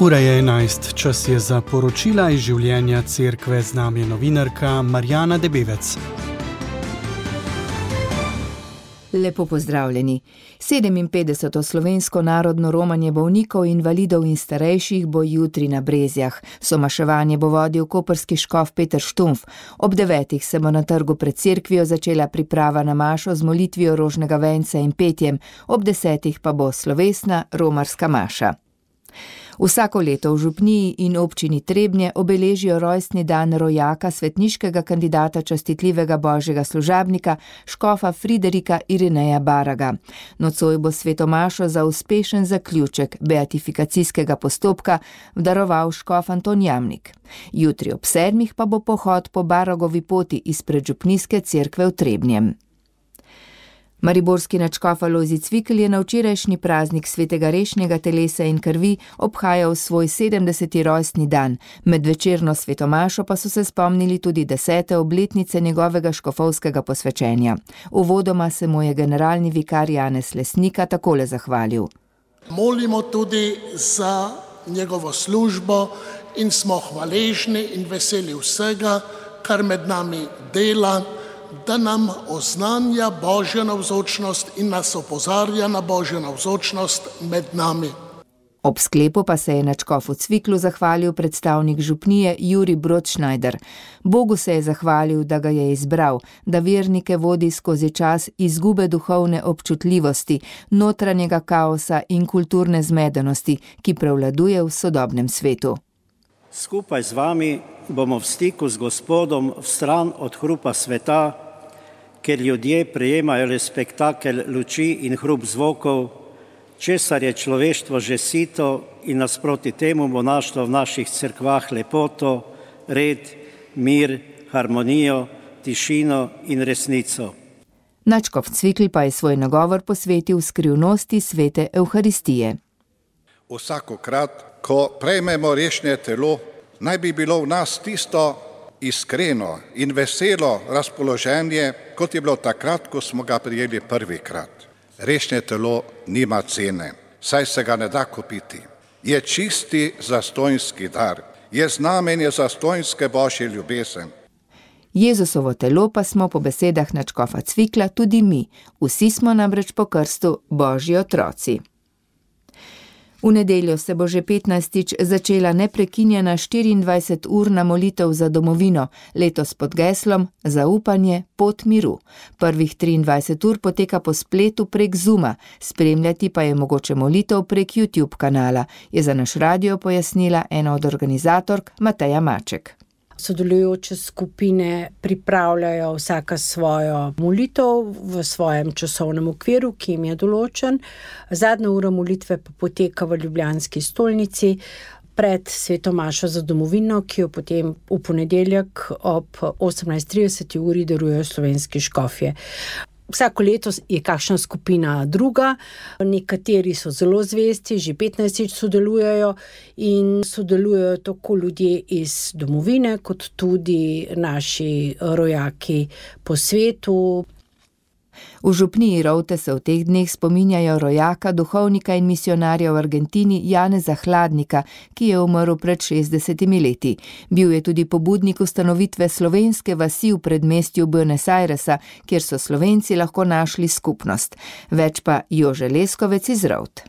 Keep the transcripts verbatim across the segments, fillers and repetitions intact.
Ura je enajst, čas je za poročila iz življenja cerkve, z nami je novinarka Marjana Debevec. Lepo pozdravljeni. sedeminpetdeseto slovensko narodno romanje bolnikov, invalidov in starejših bo jutri na Brezjah. Somaševanje bo vodil koprski škof Peter Štumf. Ob devetih se bo na trgu pred cerkvijo začela priprava na mašo z molitvijo rožnega venca in petjem. Ob desetih pa bo slovesna romarska maša. Vsako leto v župniji in občini Trebnje obeležijo rojstni dan rojaka, svetniškega kandidata častitljivega božjega služabnika, škofa Friderika Irineja Baraga. Nocoj bo svetomašo za uspešen zaključek beatifikacijskega postopka daroval škof Anton Jamnik. Jutri ob sedmih pa bo pohod po Baragovi poti izpred župnijske cerkve v Trebnjem. Mariborski nadškof Alojzij Cvikl je na včerajšnji praznik svetega rešnjega telesa in krvi obhajal svoj sedemdeseti rojstni dan. Med večerno svetomašo pa so se spomnili tudi desete obletnice njegovega škofovskega posvečenja. Uvodoma se mu je generalni vikar Janez Lesnika takole zahvalil. Molimo tudi za njegovo službo in smo hvaležni in veseli vsega, kar med nami dela, da nam oznanja Božjo navzočnost in nas opozarja na Božjo navzočnost med nami. Ob sklepu pa se je nadškofu Cviklu zahvalil predstavnik župnije Jurij Brodšnajder. Bogu se je zahvalil, da ga je izbral, da vernike vodi skozi čas izgube duhovne občutljivosti, notranjega kaosa in kulturne zmedenosti, ki prevladuje v sodobnem svetu. Skupaj z vami bomo v stiku z Gospodom v stran od hrupa sveta, ker ljudje prejemajo le spektakel luči in hrup zvokov, česar je človeštvo že sito in nasproti temu bo našlo v naših cerkvah lepoto, red, mir, harmonijo, tišino in resnico. Nadškof Cvikl pa je svoj nagovor posvetil skrivnosti svete Evharistije. Vsakokrat, ko prejmemo rešnje telo, naj bi bilo v nas tisto iskreno in veselo razpoloženje, kot je bilo takrat, ko smo ga prijeli prvikrat. Rešnje telo nima cene, saj se ga ne da kupiti. Je čisti zastonjski dar, je znamenje zastonjske božje ljubezen. Jezusovo telo pa smo po besedah nadškofa Cvikla tudi mi. Vsi smo namreč po krstu božji otroci. V nedeljo se bo že petnajstič začela neprekinjena štiriindvajseturna molitev za domovino, letos pod geslom Zaupanje, pot miru. Prvih triindvajset ur poteka po spletu prek Zooma, spremljati pa je mogoče molitev prek YouTube kanala, je za naš radio pojasnila ena od organizatork Mateja Maček. Sodelujoče skupine pripravljajo vsaka svojo molitev v svojem časovnem okviru, ki jim je določen. Zadnja ura molitve pa poteka v ljubljanski stolnici pred svetomašo za domovino, ki jo potem v ponedeljek ob osemnajst trideset uri darujejo slovenski škofje. Vsako leto je kakšna skupina druga, nekateri so zelo zvesti, že petnajstič sodelujejo in sodelujejo tako ljudje iz domovine, kot tudi naši rojaki po svetu. V župniji Rovte se v teh dneh spominjajo rojaka, duhovnika in misionarja v Argentini Janeza Hladnika, ki je umrl pred šestdesetimi leti. Bil je tudi pobudnik ustanovitve slovenske vasi v predmestju Buenos Airesa, kjer so Slovenci lahko našli skupnost. Več pa Jože Leskovec iz Rovt.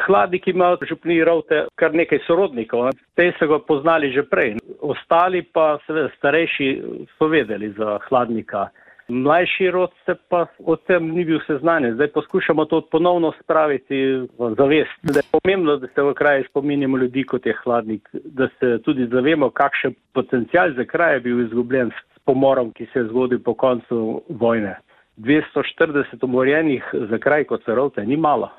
Hladnik ima v župniji Rovte kar nekaj sorodnikov, te so ga poznali že prej. Ostali pa seveda starejši so vedeli za Hladnika. Mlajši rod se pa o tem ni bil seznanjen. Zdaj poskušamo to ponovno spraviti v zavest. Da je pomembno, da se v kraju spominjamo ljudi, kot je Hladnik, da se tudi zavemo, kakšen potencial za kraj je bil izgubljen s pomorom, ki se je zgodil po koncu vojne. dvesto štirideset umorjenih za kraj kot se Rovte ni malo.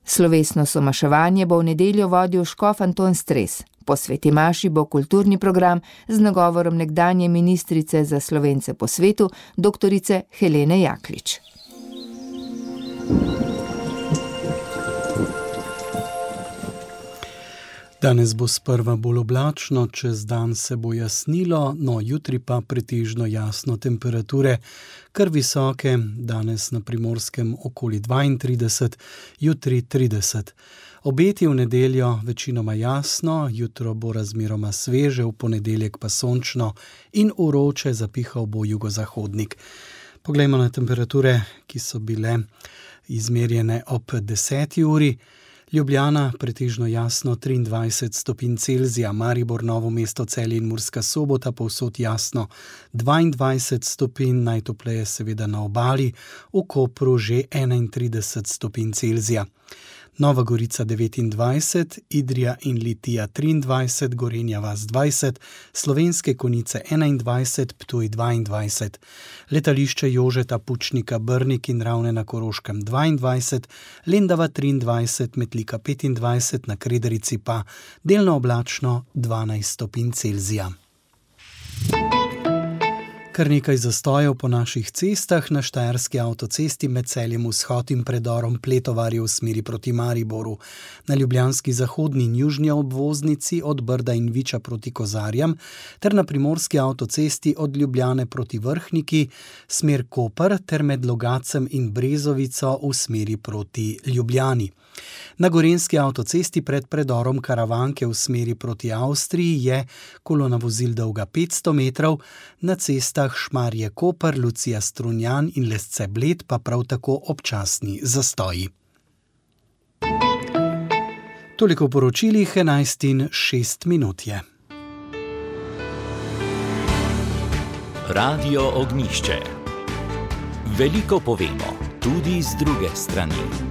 Slovesno somaševanje bo v nedeljo vodil škof Anton Stres. Po sveti maši bo kulturni program z nagovorom nekdanje ministrice za Slovence po svetu, doktorice Helene Jaklič. Danes bo sprva bolj oblačno, čez dan se bo jasnilo, no jutri pa pretežno jasno, temperature kar visoke, danes na Primorskem okoli dvaintrideset, jutri trideset. Obeti v nedeljo večinoma jasno, jutro bo razmeroma sveže, v ponedeljek pa sončno in vroče, zapihal bo jugozahodnik. Poglejmo na temperature, ki so bile izmerjene ob deseti uri. Ljubljana pretežno jasno triindvajset stopinj Celzija, Maribor, Novo mesto, Celje in Murska Sobota povsod jasno dvaindvajset stopinj, najtopleje seveda na obali, v Kopru že enaintrideset stopinj Celzija. Nova Gorica devetindvajset, Idrija in Litija triindvajset, Gorenja vas dvajset, Slovenske Konjice enaindvajset, Ptuj dvaindvajset, letališče Jožeta Pučnika Brnik in Ravne na Koroškem dvaindvajset, Lendava triindvajset, Metlika petindvajset, na Krederici pa delno oblačno dvanajst stopinj Celzija. Kar nekaj zastojev po naših cestah, na štajerski avtocesti med Celjem Vzhod in predorom Pletovarje v smeri proti Mariboru, na ljubljanski zahodni in južni obvoznici od Brda in Viča proti Kozarjam, ter na primorski avtocesti od Ljubljane proti Vrhniki, smer Koper, ter med Logacem in Brezovico v smeri proti Ljubljani. Na gorenjski avtocesti pred predorom Karavanke v smeri proti Avstriji je kolona vozil dolga petsto metrov, na cestah Šmarje-Koper, Lucija-Strunjan in Lesce-Bled pa prav tako občasni zastoji. Toliko v poročilih, enajst in šest minut je. Radio Ognjišče. Veliko povemo, tudi z druge strani.